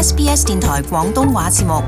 SBS 電台廣東話節目。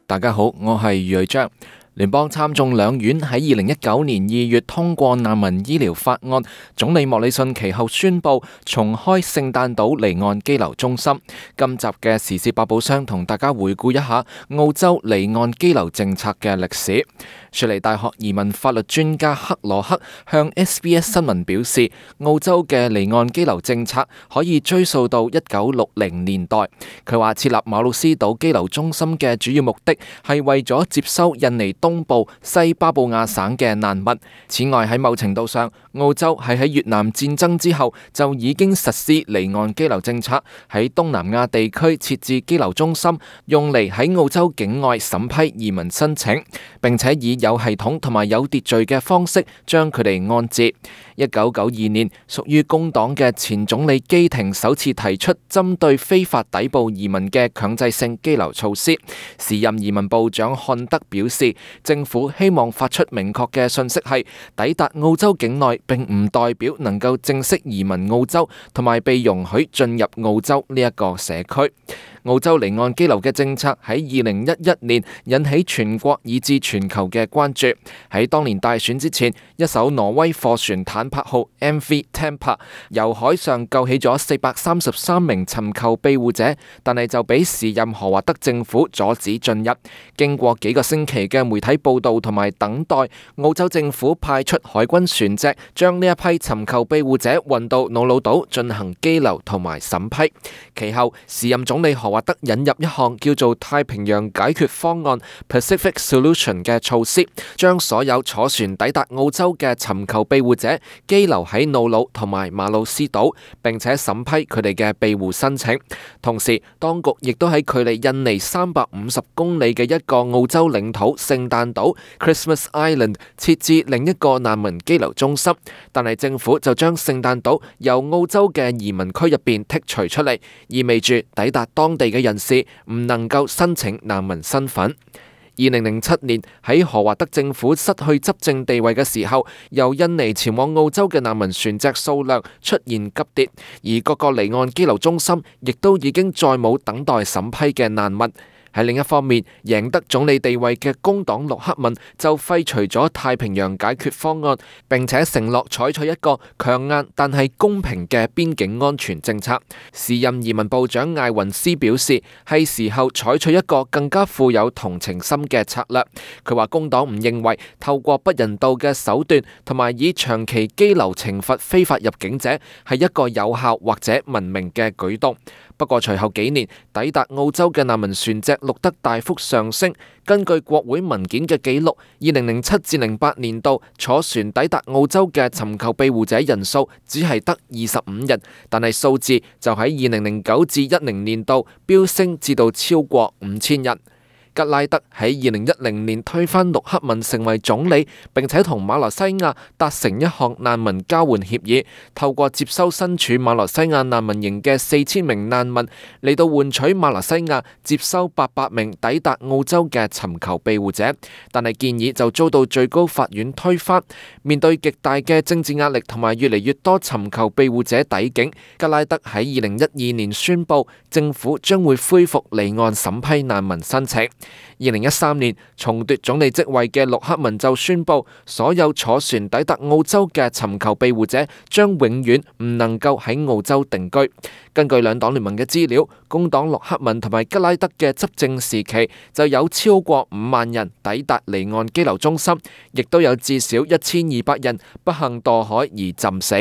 大家好，我係余瑞章。聯邦參眾兩院喺2019年2月通過難民醫療法案，總理莫里遜其後宣布重開聖誕島離岸羈留中心。今集嘅時事百寶箱同大家回顧一下澳洲離岸羈留政策嘅歷史。雪梨大學移民法律專家克羅克向 SBS 新聞表示，澳洲嘅離岸羈留政策可以追溯到1960年代。佢話設立馬魯斯島羈留中心嘅主要目的係為咗接收印尼東部西巴布亞省嘅難民。此外，喺某程度上，澳洲係喺越南戰爭之後就已經實施離岸羈留政策，喺東南亞地區設置羈留中心，用嚟喺澳洲境外審批移民申請，並且以有系統同埋有秩序嘅方式將佢哋安置。1992年，屬於工黨嘅前總理基廷首次提出針對非法抵埗移民嘅強制性羈留措施。時任移民部長漢德表示，政府希望發出明確嘅信息係，抵達澳洲境內並唔代表能夠正式移民澳洲，同埋被容許進入澳洲呢一個社區。澳洲離岸羈留嘅政策喺2011年引起全國以至全球嘅關注。喺當年大選之前，一艘挪威貨船坦帕號 MV Tampa 由海上救起咗433名尋求庇護者，但係就俾時任荷華德政府阻止進入。經過幾個星期嘅媒體報道同埋等待，澳洲政府派出海軍船隻將呢一批尋求庇護者運到瑙魯島進行羈留同埋審批。其後，時任總理荷華德引入一項叫做太平洋解決方案 Pacific Solution 嘅措施，將所有坐船抵達澳洲嘅尋求庇護者羈留喺瑙魯同埋馬魯斯島，並且審批佢哋嘅庇護申請。同時，當局亦都喺距離印尼350公里嘅一個澳洲領土聖誕島 Christmas Island 設置另一個難民羈留中心，但係政府就將聖誕島由澳洲嘅移民區入邊剔除出嚟，意味住抵達當地嘅人士唔能夠申請難民身份。2007年喺荷華德政府失去執政地位嘅時候，由印尼前往澳洲嘅難民船隻數量出現急跌，而各個離岸羈留中心亦都已經再冇等待審批嘅難民。喺另一方面，贏得總理地位嘅工黨陸克文就廢除咗太平洋解決方案，並且承諾採取一個強硬但係公平嘅邊境安全政策。時任移民部長艾雲斯表示，係時候採取一個更加富有同情心嘅策略。佢話工黨唔認為透過不人道嘅手段同埋以長期羈留懲罰非法入境者係一個有效或者文明嘅舉動。不過隨後幾年，抵達澳洲嘅難民船隻錄得大幅上升。根據國會文件嘅記錄，2007至08年度坐船抵達澳洲嘅尋求庇護者人數只係得25人，但係數字就喺2009至10年度飆升至到超過5000人。吉拉德喺2010年推翻陸克文成為總理，並且同馬來西亞達成一項難民交換協議，透過接收身處馬來西亞難民營嘅4000名難民，嚟到換取馬來西亞接收800名抵達澳洲嘅尋求庇護者。但係建議就遭到最高法院推翻。面對極大嘅政治壓力同埋越嚟越多尋求庇護者抵境，吉拉德喺2012年宣布政府將會恢復離岸審批難民申請。2013年重奪總理職位嘅陸克文就宣布，所有坐船抵達澳洲嘅尋求庇護者將永遠唔能夠喺澳洲定居。根據兩黨聯盟嘅資料，工黨陸克文同埋吉拉德嘅執政時期就有超過5萬人抵達離岸羈留中心，亦都有至少1200人不幸墮海而浸死。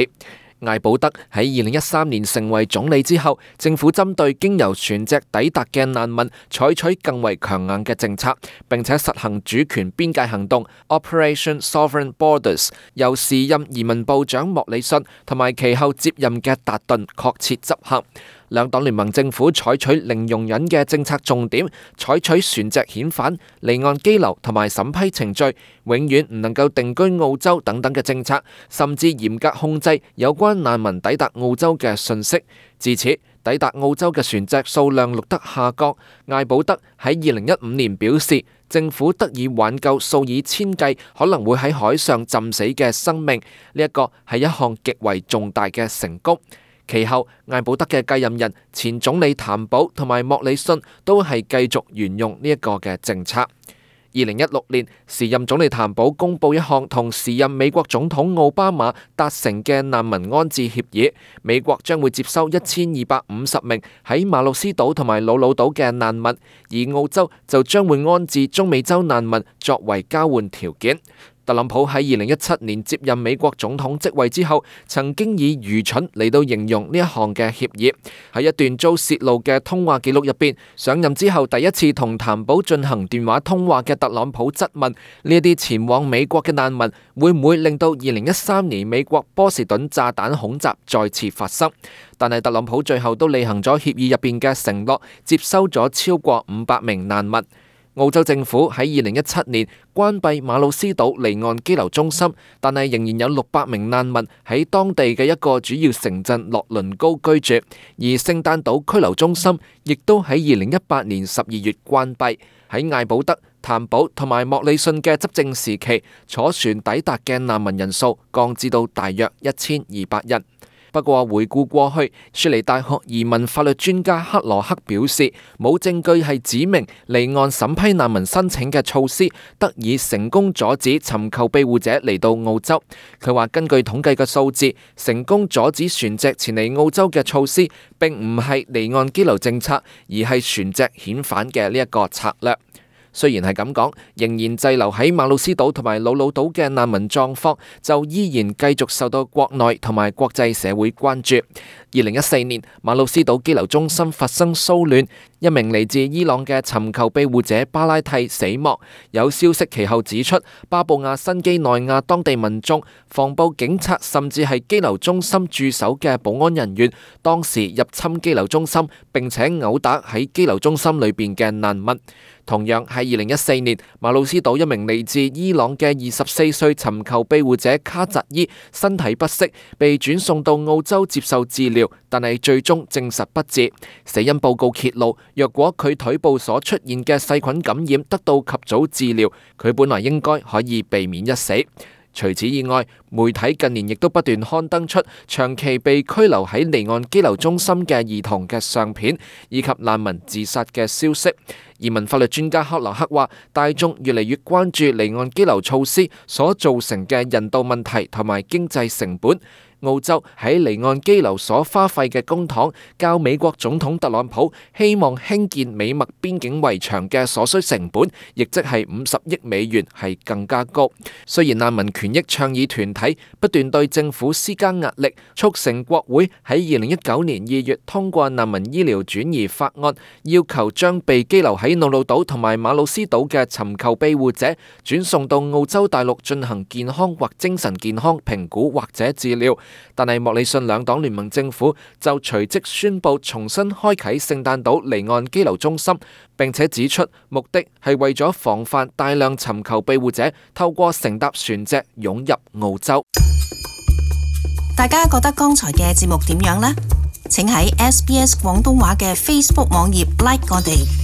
艾保德喺2013年成為總理之後，政府針對經由船隻抵達嘅難民採取更為強硬嘅政策，並且實行主權邊界行動 Operation Sovereign Borders， 由時任移民部長莫里遜同埋其後接任嘅達頓確切執行。兩黨聯盟政府採取零容忍嘅政策重點，採取船隻遣返、離岸羈留同埋審批程序，永遠唔能夠定居澳洲等等嘅政策，甚至嚴格控制有關難民抵達澳洲嘅信息。自此，抵達澳洲嘅船隻數量錄得下降。艾保德喺2015年表示，政府得以挽救數以千計可能會喺海上浸死嘅生命，呢一個係一項極為重大嘅成功。其後，艾保德嘅繼任人前總理譚寶同埋莫里遜都係繼續沿用呢一個嘅政策。2016年，時任總理譚寶公布一項同時任美國總統奧巴馬達成嘅難民安置協議，美國將會接收1250名喺馬魯斯島同埋魯魯島嘅難民，而澳洲就將會安置中美洲難民作為交換條件。特朗普喺2017年接任美國總統職位之後，曾經以愚蠢嚟到形容呢一項嘅協議。喺一段遭洩露嘅通話記錄入邊，上任之後第一次同譚寶進行電話通話嘅特朗普質問：呢一啲前往美國嘅難民會唔會令到2013年美國波士頓炸彈恐襲再次發生？但係特朗普最後都履行咗協議入邊嘅承諾，接收咗超過500名難民。澳洲政府喺2017年關閉馬魯斯島離岸羈留中心，但係仍然有600名難民喺當地嘅一個主要城鎮洛倫高居住，而聖誕島拘留中心亦都喺2018年12月關閉。喺艾保德、譚寶同埋莫里遜嘅執政時期，坐船抵達嘅難民人數降至到大約1200人。不過回顧過去，雪梨大學移民法律專家克羅克表示，冇證據係指明離岸審批難民申請嘅措施得以成功阻止尋求庇護者嚟到澳洲。佢話根據統計嘅數字，成功阻止船隻前嚟澳洲嘅措施並唔係離岸羈留政策，而係船隻遣返嘅呢一個策略。雖然係咁講，仍然滯留喺馬魯斯島同埋魯魯島嘅難民狀況就依然繼續受到國內同埋國際社會關注。2014年，馬魯斯島羈留中心發生騷亂，一名嚟自伊朗嘅尋求庇護者巴拉蒂死亡。有消息其後指出，巴布亞新畿內亞當地民眾、防暴警察甚至係羈留中心駐守嘅保安人員，當時入侵羈留中心，並且毆打喺羈留中心裏邊嘅難民。同樣喺2014年，馬魯斯島一名嚟自伊朗嘅24歲尋求庇護者卡扎伊身體不適，被轉送到澳洲接受治療，但係最終證實不治。死因報告揭露，若果佢腿部所出現嘅細菌感染得到及早治療，佢本來應該可以避免一死。除此以外，媒體近年亦都不斷刊登出長期被拘留喺離岸羈留中心嘅兒童嘅相片，以及難民自殺嘅消息。移民法律專家克羅克話，大眾越嚟越關注離岸羈留措施所造成嘅人道問題同埋經濟成本。澳洲喺離岸羈留所花費嘅公帑，較美國總統特朗普希望興建美墨邊境圍牆嘅所需成本，亦即係50億美元，係更加高。雖然難民權益倡議團體不斷對政府施加壓力，促成國會喺2019年2月通過難民醫療轉移法案，要求將被羈留喺魯魯島同埋馬魯斯島嘅尋求庇護者轉送到澳洲大陸進行健康或精神健康評估或者治療。但係莫里遜兩黨聯盟政府就隨即宣布重新開啟聖誕島離岸羈留中心，並且指出目的係為咗防範大量尋求庇護者透過乘搭船隻湧入澳洲。大家覺得剛才嘅節目點樣呢？請喺SBS 廣東話嘅 Facebook 網頁 like 我哋。